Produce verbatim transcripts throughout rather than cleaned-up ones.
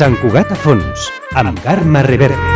Sant Cugat a fons, amb Carme Reverte.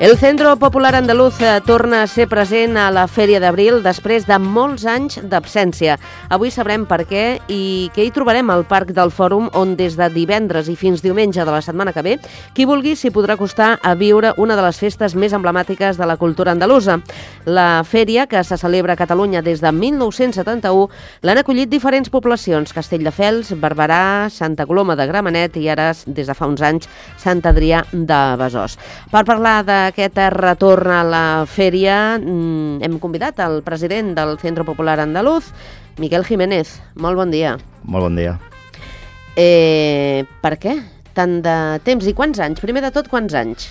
El Centro Popular Andaluz torna a ser present a la Fèria d'Abril després de molts anys d'absència. Avui sabrem per què i què hi trobarem al Parc del Fòrum, on des de divendres i fins diumenge de la setmana que ve, qui vulgui s'hi podrà acostar a viure una de les festes més emblemàtiques de la cultura andalusa. La fèria, que se celebra a Catalunya des de mil nou-cents setanta-u, l'han acollit diferents poblacions: Castelldefels, Barberà, Santa Coloma de Gramenet i ara, des de fa uns anys, Sant Adrià de Besòs. Per parlar de aquest retorn a la fèria, hem convidat el president del Centro Popular Andaluz, Miquel Jiménez. Molt bon dia. Molt bon dia. Eh, per què? Tant de temps i quants anys? Primer de tot, quants anys?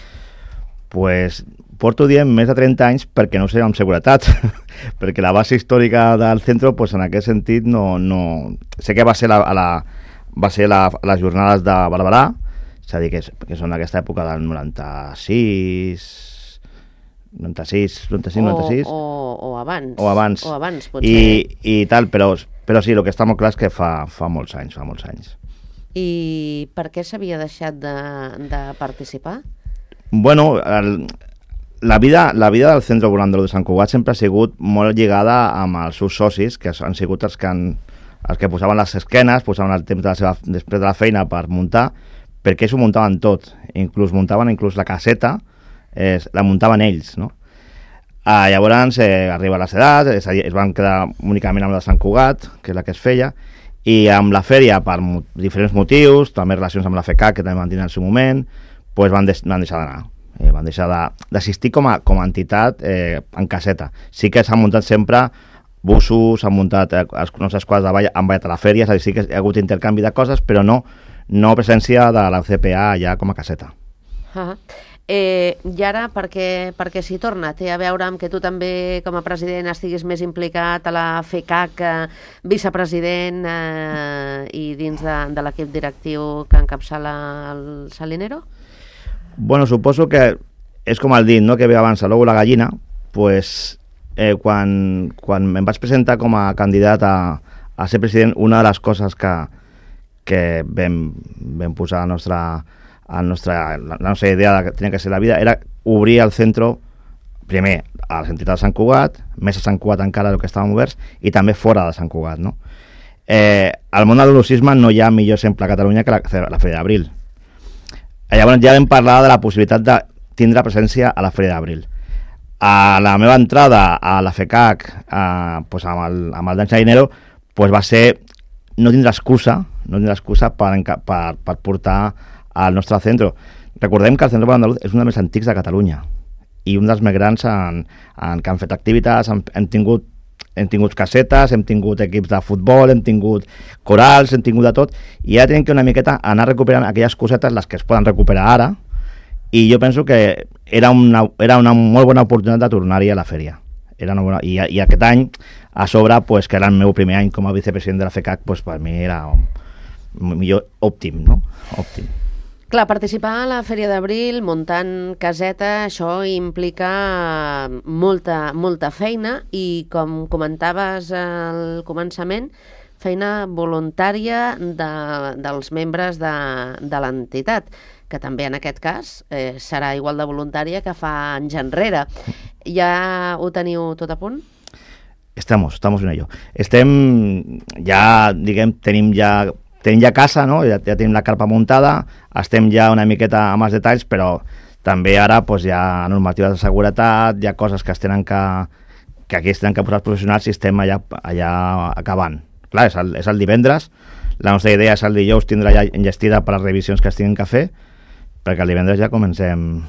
Pues porto dient més de trenta anys perquè no ho sé amb seguretat, perquè la base històrica del centre, pues, en aquest sentit, no, no... sé que va ser, la, a la, va ser la, les jornades de Barberà, és a dir, que, que són d'aquesta època del noranta-sis, noranta-sis, noranta-cinc, noranta-sis... O, o, o abans. O abans. O abans, potser. I, i tal, però, però sí, el que està molt clar és que fa, fa molts anys, fa molts anys. I per què s'havia deixat de, de participar? Bueno, el, la, vida, la vida del Centre Popular Andaluz de Sant Cugat sempre ha sigut molt lligada amb els seus socis, que han sigut els que, han, els que posaven les esquenes, posaven el temps de la seva, després de la feina per muntar, perquè s'ho muntaven tot, inclús muntaven inclús la caseta, eh, la muntaven ells, no? Ah, llavors eh, arriba les edats, és a dir, es van quedar únicament amb la de Sant Cugat, que és la que es feia, i amb la fèria, per mo diferents motius, també relacions amb la F E C A, que també van tenir en el seu moment, pues van, des van deixar d'anar, eh, van deixar d'assistir com, a, com a entitat eh, en caseta. Sí que s'han muntat sempre busos, s'han muntat eh, els nostres quadres de ball, han ballat a la fèria, és a dir, sí que hi ha hagut intercanvi de coses, però no no presència de la C P A allà com a caseta. Uh-huh. eh, I ara, per què, per què s'hi torna? Té a veure amb que tu també, com a president, estiguis més implicat a la F E C A, que vicepresident eh, i dins de, de l'equip directiu que encapçala el Salinero? Bueno, suposo que és com el dit, no?, que ve abans l'ou la gallina. Pues, eh, quan, quan em vaig presentar com a candidat a, a ser president, una de les coses que que vam, vam posar la nostra, la, nostra, la nostra idea de que tenia que ser la vida era obrir el centre primer a les entitats de Sant Cugat, més a Sant Cugat encara del que estàvem oberts, i també fora de Sant Cugat, no? Eh, al món de l'andalusisme no hi ha millor exemple a Catalunya que la, la Fèria d'Abril. Llavors ja vam parlar de la possibilitat de tindre presència a la Fèria d'Abril. A la meva entrada a la F E C A, eh, pues amb el, amb el Dan Salinero, pues va ser no tindre excusa, no tindre excusa per, per, per portar al nostre centre. Recordem que el Centre Popular Andaluz és un dels més antics de Catalunya i un dels més grans en, en que han fet activitats, hem, hem, tingut, hem tingut casetes, hem tingut equips de futbol, hem tingut corals, hem tingut de tot, i ara tenim que una miqueta anar recuperant aquelles cosetes, les que es poden recuperar ara, i jo penso que era una, era una molt bona oportunitat de tornar-hi a la fèria. Era una bona, i, i aquest any, a sobre, pues, que era el meu primer any com a vicepresident de la F E C A, pues, per mi era un, un millor òptim, no? Òptim. Clar, participar a la Fèria d'Abril muntant caseta, això implica molta, molta feina i, com comentaves al començament, feina voluntària de, dels membres de, de l'entitat, que també en aquest cas eh, serà igual de voluntària que fa anys enrere. Ja ho teniu tot a punt? Estamos, estamos en ello. Estem, ja, diguem, tenim ja, tenim ja casa, no? Ja, ja tenim la carpa muntada, estem ja una miqueta amb els detalls, però també ara pues, hi ha normatives de seguretat, hi ha coses que es tenen que, que aquí es tenen que posar els professionals i estem allà, allà acabant. Clar, és el, és el divendres, la nostra idea és el dijous tindre ja enllestida per les revisions que es tinguin que fer, perquè el divendres ja comencem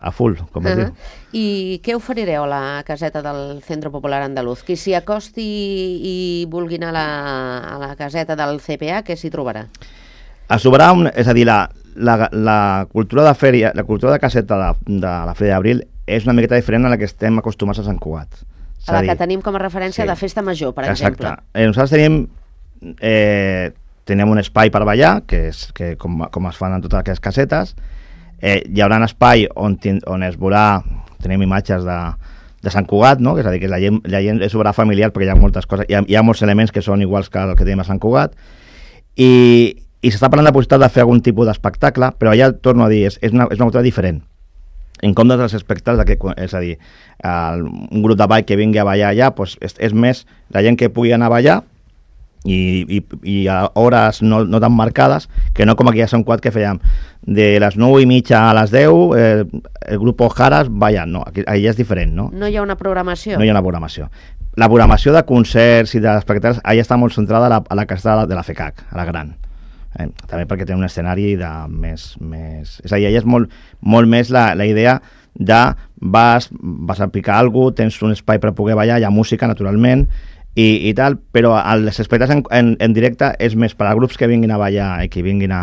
a full, com es uh-huh. diu. I què oferireu a la caseta del Centre Popular Andaluz? Qui s'hi acosti i vulgui anar a la, a la caseta del C P A, què s'hi trobarà? Es trobarà, un, és a dir, la, la, la cultura de fèria, la cultura de caseta de, de la Fèria d'Abril és una miqueta diferent a la que estem acostumats a Sant Cugat. A la que tenim com a referència sí. de festa major, per Exacte. exemple. Eh, nosaltres tenim, eh, tenim un espai per ballar, que és que com, com es fan en totes aquestes casetes. Eh, hi haurà un espai on, on es veurà, tenim imatges de, de Sant Cugat, no? Que és a dir, que la gent, la gent és obra familiar perquè hi ha moltes coses, hi ha, hi ha molts elements que són iguals que el que tenim a Sant Cugat, i, i s'està parlant de la possibilitat de fer algun tipus d'espectacle, però allà, torno a dir, és, és, una, és una cosa diferent. En comptes dels espectacles, que, és a dir, el, un grup de ball que vingui a ballar allà, doncs és, és més la gent que pugui anar a ballar, i, i, i a hores no, no tan marcades, que no com aquí a Sant Cugat que fèiem de les nou i mitja a les deu, eh, el grup Jaras ballant, no, aquí, allà és diferent, no? No hi ha una programació? No hi ha una programació. La programació de concerts i d'espectacles allà està molt centrada a la, a la casa de la, de la FECAC, a la gran. Eh, també perquè té un escenari de més, més... És a dir, allà és molt, molt més la, la idea de vas, vas a picar alguna cosa, tens un espai per poder ballar, hi ha música, naturalment, i, i tal, però els espectacles en, en, en directe és més per als grups que vinguin a ballar i que vinguin a,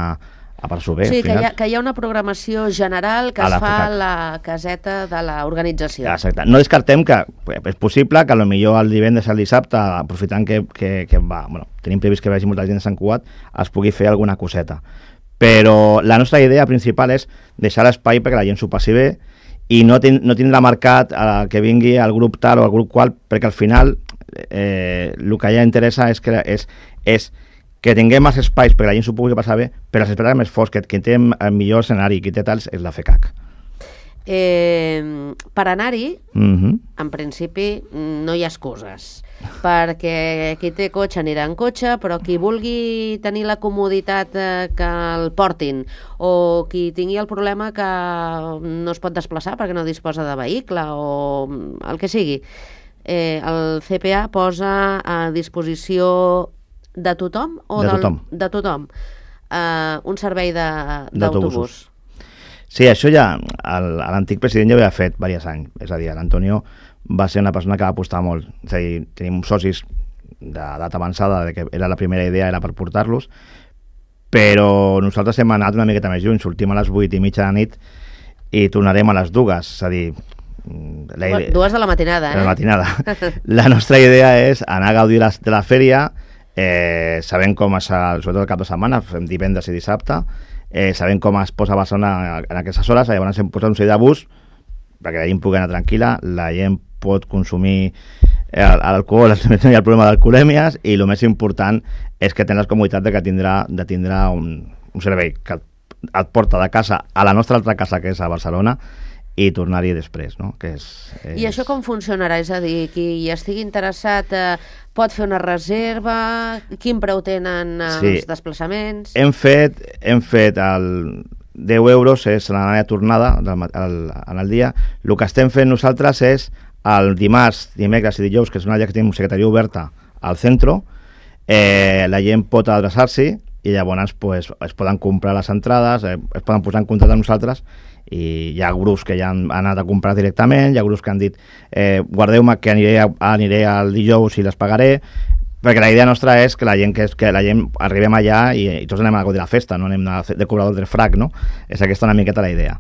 a passar bé. Sí, que hi, ha, que hi ha una programació general que es la fa FECAC. a la caseta de l'organització. Exacte. No descartem que és possible que potser el divendres i el dissabte, aprofitant que, que, que va, bueno, tenim previst que vagi molta gent de Sant Cugat, es pugui fer alguna coseta. Però la nostra idea principal és deixar l'espai perquè la gent s'ho passi bé i no, ten, no tindrà marcat eh, que vingui el grup tal o el grup qual, perquè al final eh, el que ja interessa és que, és, és que tinguem més espais perquè la gent s'ho pugui passar bé, però els espectacles més forts, que qui té el millor escenari, qui té tals, és la FECAC. Eh, per anar-hi, Mm-hmm. en principi, no hi ha excuses, perquè qui té cotxe anirà en cotxe, però qui vulgui tenir la comoditat eh, que el portin, o qui tingui el problema que no es pot desplaçar perquè no disposa de vehicle, o el que sigui, eh, el C P A posa a disposició de tothom? O De del, tothom. De tothom. Uh, un servei de- d'autobús. Sí, això ja el- l'antic president ja ho havia fet diversos anys. És a dir, l'Antonio va ser una persona que va apostar molt. És a dir, tenim socis d'edat avançada, de que era la primera idea era per portar-los, però nosaltres hem anat una miqueta més lluny. Sortim a les vuit i mitja de la nit i tornarem a les dues. És a dir, la idea, Dues de la matinada, eh? de la matinada. La nostra idea és anar a gaudir la, de la fèria, eh, sabent com es, sobretot el cap de setmana, fem divendres i dissabte, eh, sabent com es posa a Barcelona en aquestes hores, llavors hem posat un seguit de bus perquè la gent pugui anar tranquil·la, la gent pot consumir alcohol, no hi ha el problema d'alcoholèmies, i el més important és que tens la comoditat de que tindrà, de tindrà un, un servei que et, et porta de casa a la nostra altra casa, que és a Barcelona, i tornar-hi després, no? Que és, és... I això com funcionarà? És a dir, qui estigui interessat eh, pot fer una reserva? Quin preu tenen els Sí. desplaçaments? Hem fet, hem fet el deu euros, és l'anada i tornada del, ma- el, en el dia. El que estem fent nosaltres és el dimarts, dimecres i dijous, que és una dia que tenim secretaria oberta al centre, eh, la gent pot adreçar-s'hi i llavors pues, es poden comprar les entrades, eh, es poden posar en contacte amb nosaltres, i hi ha grups que ja han anat a comprar directament, hi ha grups que han dit eh, guardeu-me que aniré, a, aniré al dijous i les pagaré, perquè la idea nostra és que la gent, que, és, que la gent arribem allà i, i tots anem a gaudir la festa, no anem a fer de cobrador del frac, no? És aquesta una miqueta la idea.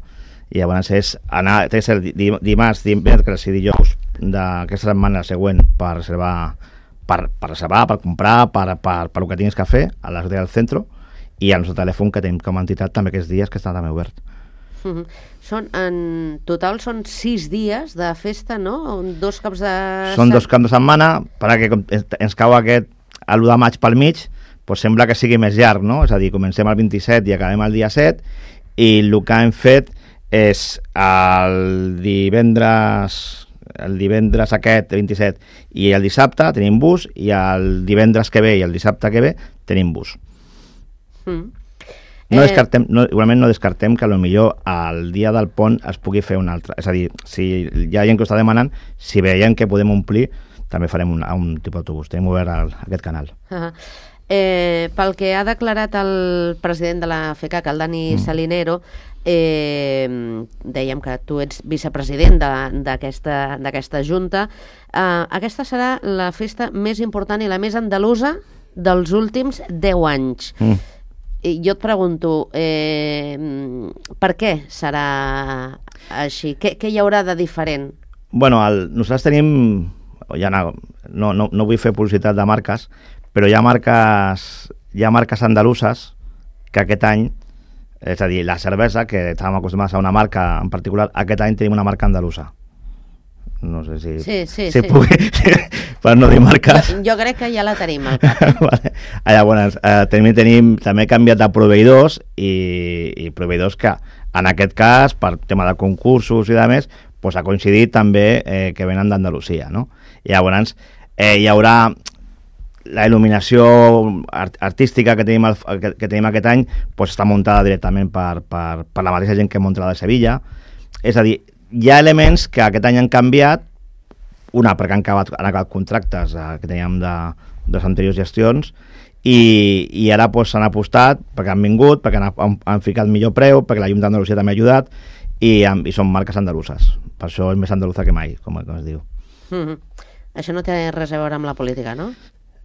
I llavors és anar, té que ser di, dimarts, dimecres i dijous d'aquesta setmana següent per reservar, per, per reservar, per comprar, per, per, per el que tinguis que fer a les del centre, i al nostre telèfon que tenim com a entitat també aquests dies que està també obert. Mhm. Són, en total són sis dies de festa, no? Dos caps de... Són dos caps de setmana, perquè com ens cau aquest l'u de maig pel mig, doncs sembla que sigui més llarg, no? És a dir, comencem el vint-i-set i acabem el dia set, i el que hem fet és el divendres el divendres aquest, vint-i-set, i el dissabte tenim bus, i el divendres que ve i el dissabte que ve tenim bus. Mm. No descartem, no, igualment no descartem que potser el dia del pont es pugui fer un altre. És a dir, si hi ha gent que ho està demanant, si veiem que podem omplir, també farem un, un tipus d'autobús. Tenim obert el, aquest canal. Uh-huh. Eh, pel que ha declarat el president de la FECAC, el Dani mm. Salinero, eh, dèiem que tu ets vicepresident d'aquesta d'aquesta junta. Eh, aquesta serà la festa més important i la més andalusa dels últims deu anys. Mm. I jo et pregunto, eh, per què serà així? Què, què hi haurà de diferent? Bueno, el, nosaltres tenim, ja no, no, no, no vull fer publicitat de marques, però hi ha marques, hi ha marques andaluses que aquest any, és a dir, la cervesa, que estàvem acostumats a una marca en particular, aquest any tenim una marca andalusa. no sé si, sí, sí, si sí. pugui, per no dir marques. Jo, jo crec que ja la tenim al cap. Vale. Llavors, eh, també tenim, també he canviat de proveïdors i, i proveïdors que, en aquest cas, per tema de concursos i de més, pues, ha coincidit també eh, que venen d'Andalusia, no? I llavors eh, hi haurà la il·luminació art artística que tenim, el, que, que tenim aquest any, pues, està muntada directament per, per, per la mateixa gent que munta la de Sevilla. És a dir, hi ha elements que aquest any han canviat, una perquè han acabat, han acabat contractes eh, que teníem de, de les anteriors gestions, i, i ara s'han pues, apostat perquè han vingut, perquè han, han, han ficat millor preu, perquè la Llum d'Andalusia també ha ajudat, i, i són marques andaluses. Per això és més andaluza que mai, com, com es diu. Mm-hmm. Això no té res a veure amb la política, no?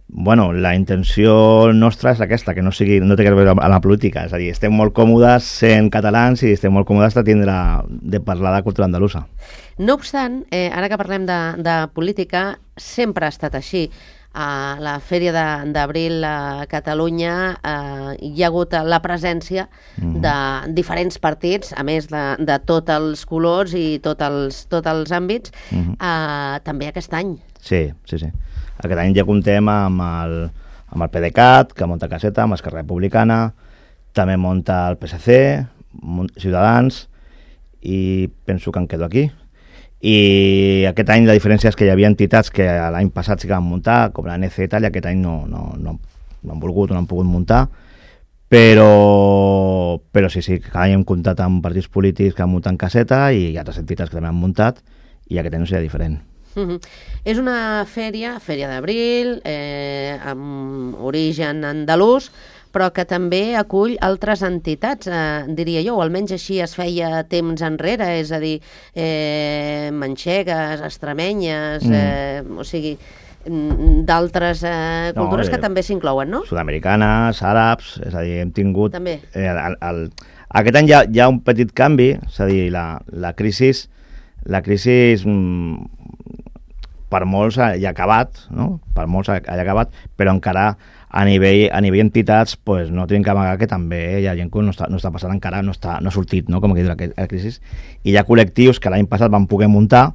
Bueno, la intenció nostra és aquesta, que no sigui, no té a veure amb la política, és a dir, estem molt còmodes sent catalans i estem molt còmodes de tindre, de parlar de cultura andalusa. No obstant, eh, ara que parlem de, de política, sempre ha estat així. A la Fèria d'Abril a Catalunya eh, hi ha hagut la presència mm-hmm. de diferents partits, a més de, de tots els colors i tots els, tots els àmbits, mm-hmm. eh, també aquest any. Sí, sí, sí. Aquest any ja comptem amb el, amb el PDeCAT, que munta caseta, amb Esquerra Republicana, també munta el P S C, Ciutadans, i penso que em quedo aquí. I aquest any la diferència és que hi havia entitats que l'any passat sí que van muntar, com la N C i tal, i aquest any no, no, no, no han volgut o no han pogut muntar, però, però sí, sí, cada any hem comptat amb partits polítics que han muntat caseta i altres entitats que també han muntat, i aquest any no seria diferent. Uh-huh. És una fèria, Fèria d'Abril, eh, amb origen andalús, però que també acull altres entitats, eh, diria jo, o almenys així es feia temps enrere, és a dir, eh, manxegues, extremenyes, mm. eh, o sigui, d'altres eh, cultures no, eh, que també s'inclouen, no? Sud-americanes, àrabs, és a dir, hem tingut... També. Eh, el, el, aquest any hi ha, hi ha un petit canvi, és a dir, la, la crisi, la crisi mm, per molts ha acabat, no? Per molts ha, ha acabat, però encara a nivell, a nivell entitats pues, no tenim que amagar que també hi ha gent que no està, no està passant encara, no, està, no ha sortit, no? Com que diu la, la crisi, i hi ha col·lectius que l'any passat van poder muntar,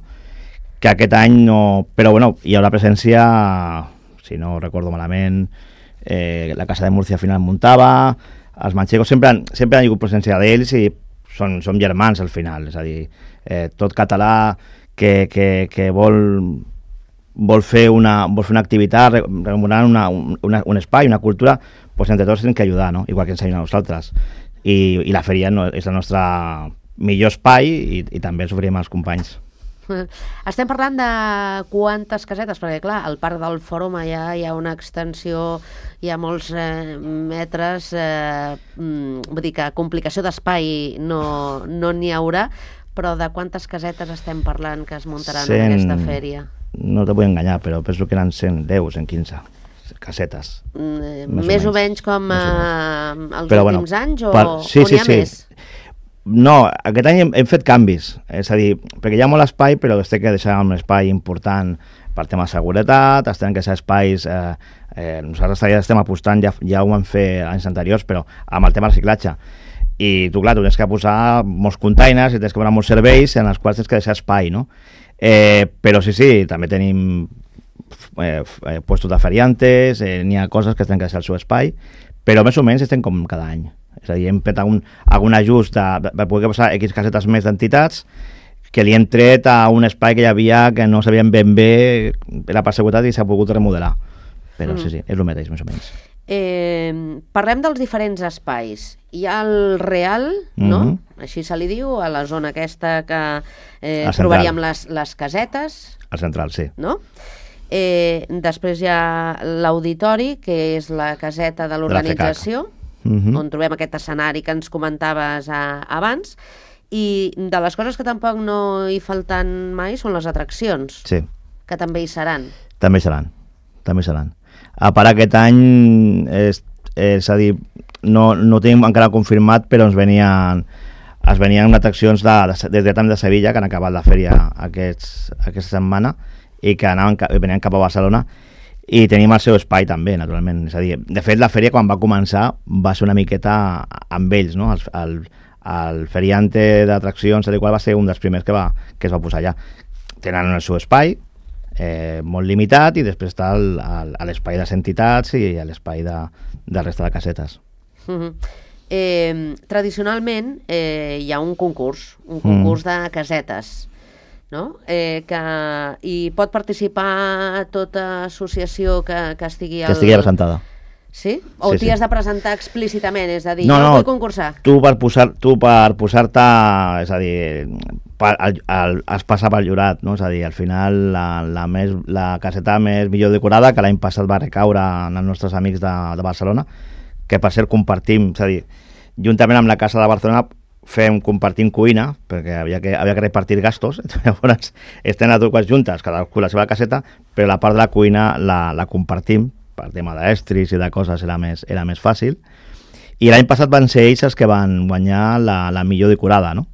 que aquest any no... Però bueno, hi haurà presència, si no recordo malament, eh, la Casa de Múrcia al final muntava, els manxegos sempre han, sempre han hagut presència d'ells i són, són germans al final, és a dir, eh, tot català que, que, que vol... vol fer una, vol fer una activitat, remunerant una, una, un espai, una cultura, pues entre tots hem que ajudar, no? Igual que ens ajudem a nosaltres. I, i la fèria no, és el nostre millor espai i, i també ens oferim als companys. Estem parlant de quantes casetes, perquè clar, al parc del Fòrum allà hi ha una extensió, hi ha molts eh, metres, eh, vull dir que complicació d'espai no n'hi no haurà, però de quantes casetes estem parlant que es muntaran cent... en aquesta fèria? No te vull enganyar, però penso que eren cent deu, cent quinze casetes. Mm, més, més o menys, menys com eh, els però, últims bueno, anys o, per... sí, o n'hi sí, ha sí. més? No, aquest any hem, hem fet canvis, és a dir, perquè hi ha molt espai, però es té que deixar un espai important per tema de seguretat, es tenen que ser espais... Eh, eh, nosaltres ja estem apostant, ja, ja ho vam fer anys anteriors, però amb el tema de reciclatge. I tu, clar, tu tens que posar molts containers i tens que posar molts serveis en els quals tens que deixar espai, no? Eh, però sí, sí, també tenim eh, puestos de feriantes, eh, n'hi ha coses que tenen que deixar el seu espai, però més o menys estem com cada any. És a dir, hem fet algun, algun ajust de, de poder posar X casetes més d'entitats que li hem tret a un espai que hi havia que no sabien ben bé, era per seguretat i s'ha pogut remodelar. Però mm. sí, sí, és el mateix, més o menys. Eh, parlem dels diferents espais. Hi ha el Real, no? Mm-hmm. Així se li diu, a la zona aquesta que eh, trobaríem les, les casetes. Al central, sí. No? Eh, després hi ha l'Auditori, que és la caseta de l'organització, mm-hmm. on trobem aquest escenari que ens comentaves a, abans, i de les coses que tampoc no hi falten mai són les atraccions, sí. que també hi seran. També hi seran, també hi seran. A part aquest any, és, és a dir, no, no tenim encara confirmat, però ens venien, es venien atraccions de, de, des de, de Sevilla, que han acabat la fèria aquests, aquesta setmana, i que anaven, venien cap a Barcelona, i tenim el seu espai també, naturalment. És a dir, de fet, la fèria, quan va començar, va ser una miqueta amb ells, no? El, el, el feriante d'atraccions, el qual va ser un dels primers que, va, que es va posar allà. tenen el seu espai, eh, molt limitat, i després està el, el, l'espai de les entitats i l'espai de, de resta de casetes. Uh-huh. Eh, tradicionalment eh, hi ha un concurs, un concurs mm. de casetes, no? Eh, que hi pot participar tota associació que, que estigui... Que estigui presentada. Sí? O sí, t'hi sí. has de presentar explícitament, és a dir, no, jo no, vull concursar. Tu per posar, tu per posar-te, és a dir, per, el, el, has passat pel jurat, no? És a dir, al final la, la, més, la caseta més millor decorada, que l'any passat va recaure en els nostres amics de, de Barcelona, que per cert compartim, és a dir, juntament amb la Casa de Barcelona fem compartim cuina, perquè havia que, havia que repartir gastos, llavors estem a totes juntes, cadascú la seva caseta, però la part de la cuina la, la compartim, per tema d'estris i de coses era més, era més fàcil, i l'any passat van ser ells els que van guanyar la, la millor decorada, no?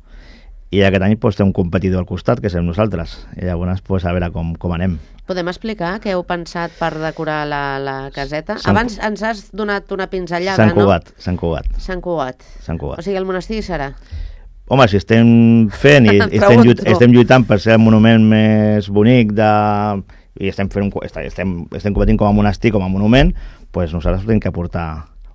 I aquest any pues, té un competidor al costat, que som nosaltres, i llavors pues, a veure com, com anem. Podem explicar què heu pensat per decorar la, la caseta? Abans ens has donat una pinzellada, Sant Cugat, no? Sant Cugat. Sant Cugat. Sant Cugat. O sigui, el monestir serà? Home, si estem fent i estem, lluit, estem lluitant per ser el monument més bonic de... i estem, fent un, estem, estem competint com a monestir, com a monument, doncs nosaltres hem que aportar...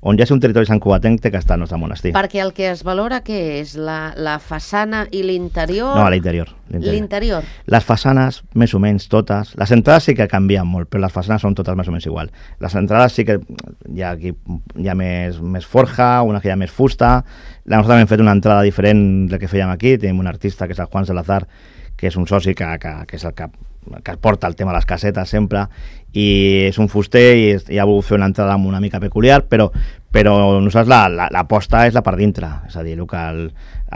On ja és un territori santcugatenc, té que estar el nostre monestir. Perquè el que es valora, què és? La, la façana i l'interior? No, a l'interior. L'interior? Les façanes, més o menys totes. Les entrades sí que canvien molt, però les façanes són totes més o menys igual. Les entrades sí que hi ha, aquí, hi ha més, més forja, una que hi ha més fusta. La nostra hem fet una entrada diferent del que fèiem aquí. Tenim un artista, que és el Juan Salazar, que és un soci que, que, que és el que que porta el tema de les casetes sempre, i és un fuster i, i ha volgut fer una entrada una mica peculiar, però, però nosaltres l'aposta la, la, és la per dintre, és a dir, el, que el,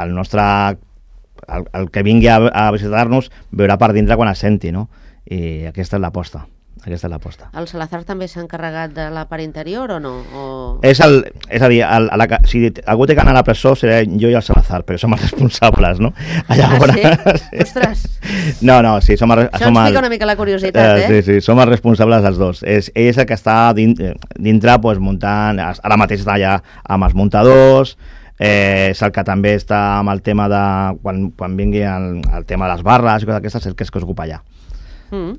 el nostre el, el que vingui a, a visitar-nos veurà per dintre quan es senti, no? I aquesta és l'aposta. Aquesta és l'aposta. El Salazar també s'ha encarregat de la part interior o no? O... És, el, és a dir, el, a la, si algú té que anar a la presó seré jo i el Salazar, però som els responsables, no? Llavors, ah, sí? sí? Ostres! No, no, sí, som... Això som ens pica una mica la curiositat, eh? Sí, sí, som els responsables els dos. És, ell és el que està dintre, dintre pues, muntant... Ara mateix està allà amb els muntadors, eh, és el que també està amb el tema de... Quan, quan vingui el, el tema de les barres i coses d'aquestes, és el que es ocupa allà. Mm.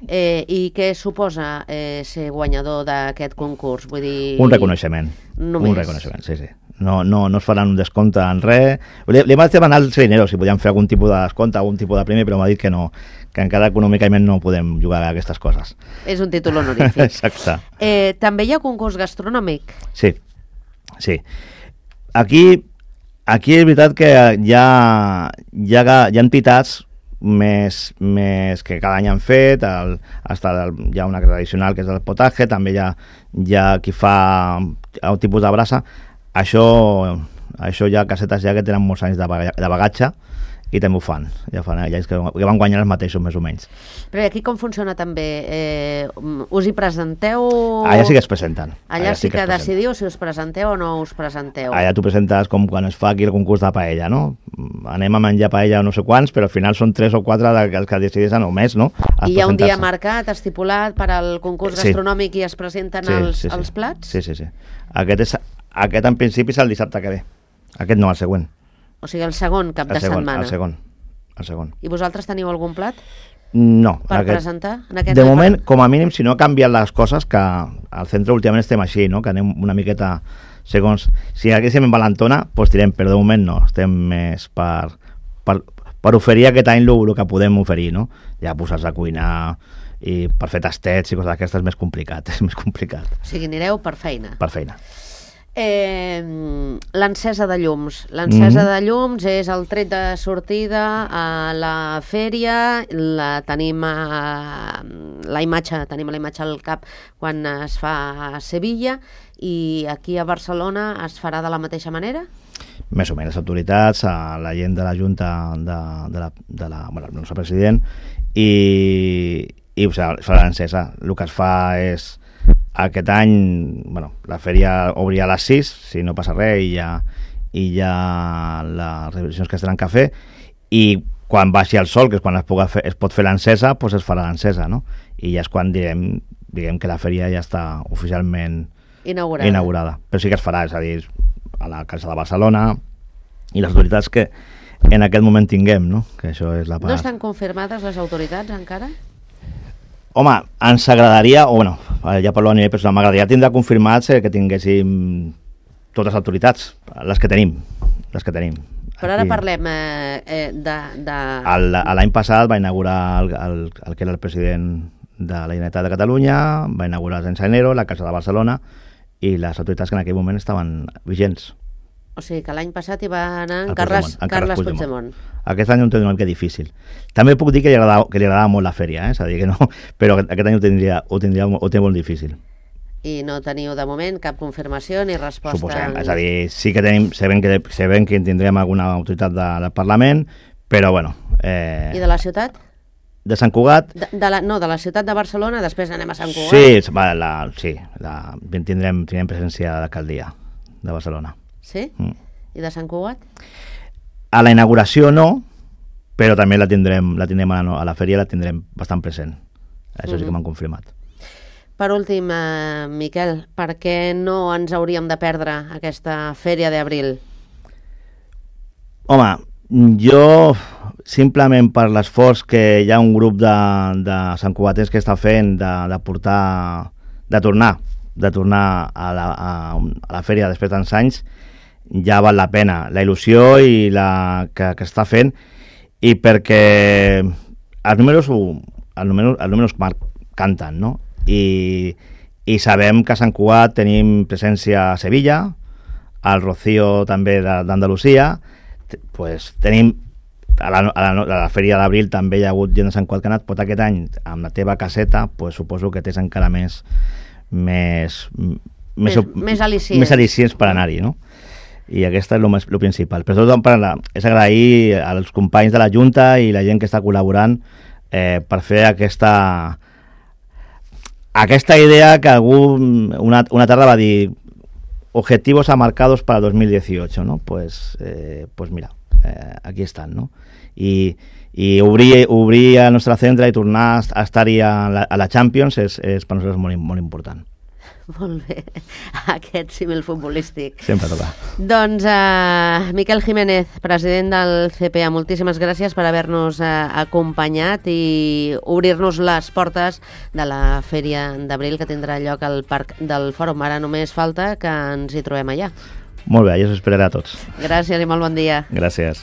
Eh, I què suposa eh, ser guanyador d'aquest concurs? Vull dir... Un reconeixement. Només. Un reconeixement, sí, sí. No, no, no es faran un descompte en res. Li, li vaig demanar al Serinero si podíem fer algun tipus de descompte, algun tipus de premi, però m'ha dit que no, que encara econòmicament no podem jugar a aquestes coses. És un títol honorífic. Exacte. Eh, també hi ha concurs gastronòmic? Sí, sí. Aquí, aquí és veritat que hi ha, hi ha, hi ha entitats més, més que cada any han fet, el, hasta el, hi ha una tradicional que és el potatge, també hi ha, hi ha qui fa un tipus de brasa. Això, això hi ha casetes ja que tenen molts anys de, de bagatge i també ho fan, ja fan ja que, que van guanyar els mateixos més o menys. Però aquí com funciona també? Eh, us hi presenteu? Allà sí que es presenten. Allà, Allà sí, sí que, que decidiu si us presenteu o no us presenteu. Allà tu presentes com quan es fa aquí el concurs de paella, no? Anem a menjar paella no sé quants, però al final són tres o quatre els que decideixen o més, no? I hi ha un dia marcat, estipulat per al concurs gastronòmic sí. I es presenten sí, els, sí, sí. els plats? Sí, sí, sí. Aquest, és, aquest en principi és el dissabte que ve. Aquest no, el següent. O sigui, el segon cap el de segon, setmana. El segon, el segon. I vosaltres teniu algun plat? No. Per aquest, presentar? En aquest de moment, per... com a mínim, si no canvien les coses, que al centre últimament estem així, no? Que anem una miqueta segons... Si haguéssim en Valentona, doncs tirem, però de moment no. Estem més per, per, per oferir aquest any el que podem oferir, no? Ja posar-se a cuinar i per fer tastets i coses d'aquestes és més complicat, és més complicat. O sigui, anireu per feina. Per feina. Eh, l'encesa de llums l'encesa mm. de llums és el tret de sortida a la fèria, la tenim a, la imatge tenim la imatge al cap quan es fa a Sevilla, i aquí a Barcelona es farà de la mateixa manera? Més o menys, les autoritats, a la gent de la Junta de, de la, de la, bueno, el nostre president i, i o sigui, farà l'encesa. El que es fa és aquest any, bueno, la fèria obria a les sis, si no passa res, i hi ha, i hi ha les revisions que es tenen que fer, i quan baixi el sol, que és quan es, puga fer, es pot fer l'encesa, doncs es farà l'encesa, no? I ja és quan direm, diguem que la fèria ja està oficialment inaugurada. inaugurada. Però sí que es farà, és a dir, a la Casa de Barcelona, i les autoritats que en aquest moment tinguem, no? Que això és la part... No estan confirmades les autoritats encara? Home, ens agradaria, o bueno, ja parlo a nivell personal, m'agradaria tindre confirmats que tinguéssim totes les autoritats, les que tenim, les que tenim. Però ara Aquí. parlem eh, eh, de... de... L'any passat va inaugurar el, el, el que era el president de la Generalitat de Catalunya, va inaugurar sense enero la Casa de Barcelona i les autoritats que en aquell moment estaven vigents. O sigui que l'any passat hi va anar en El Carles, Puigdemont, en Carles Carles Puigdemont. Aquest any ho té una mica difícil. També puc dir que li agradava, que li agradava molt la fèria, eh? És a dir, que no, però aquest any ho tindria, ho tindria ho té molt difícil. I no teniu de moment cap confirmació ni resposta? Suposem, és a dir, sí que tenim, sabem que, sabem que tindrem alguna autoritat de, del Parlament, però bueno... Eh, I de la ciutat? De Sant Cugat? De, de la, no, de la ciutat de Barcelona, després anem a Sant Cugat. Sí, va, la, sí la, tindrem, tindrem presència de l'alcaldia de Barcelona. Sí? Mm. I de Sant Cugat? A la inauguració no, però també la tindrem, la tindrem a, la, a la fèria la tindrem bastant present. Això mm-hmm. sí que m'han confirmat. Per últim, eh, Miquel, per què no ens hauríem de perdre aquesta fèria d'abril? Home, jo simplement per l'esforç que hi ha un grup de, de santcugatens que està fent de, de portar, de tornar, de tornar a la, a, a la fèria després de tants anys, ja val la pena. La il·lusió i la que, que està fent, i perquè els números, els números, els números canten, no? I, i sabem que a Sant Cugat tenim presència a Sevilla, al Rocío també d'Andalusia, pues tenim a la, a la, a la fèria d'abril també hi ha hagut gent de Sant Cugat que ha anat, però aquest any amb la teva caseta pues, suposo que tens encara més més, més, més, més al·licients, més al·licients per anar-hi, no? I aquesta és el, el principal. Però tot per la, és agrair als companys de la Junta i la gent que està col·laborant eh, per fer aquesta aquesta idea que algú una, una tarda va dir objetivos amarcados para dos mil dieciocho, ¿no? Pues, eh, pues mira, eh, aquí estan, no? I, i obrir, obrir el nostre centre i tornar a estar-hi a la, a la Champions és, és per nosaltres molt, molt important. Molt bé, aquest símil futbolístic. Sempre toca. Doncs uh, Miquel Jiménez, president del C P A, moltíssimes gràcies per haver-nos uh, acompanyat i obrir-nos les portes de la Fèria d'Abril que tindrà lloc al Parc del Fòrum. Ara només falta que ens hi trobem allà. Molt bé, jo us esperaré a tots. Gràcies i molt bon dia. Gràcies.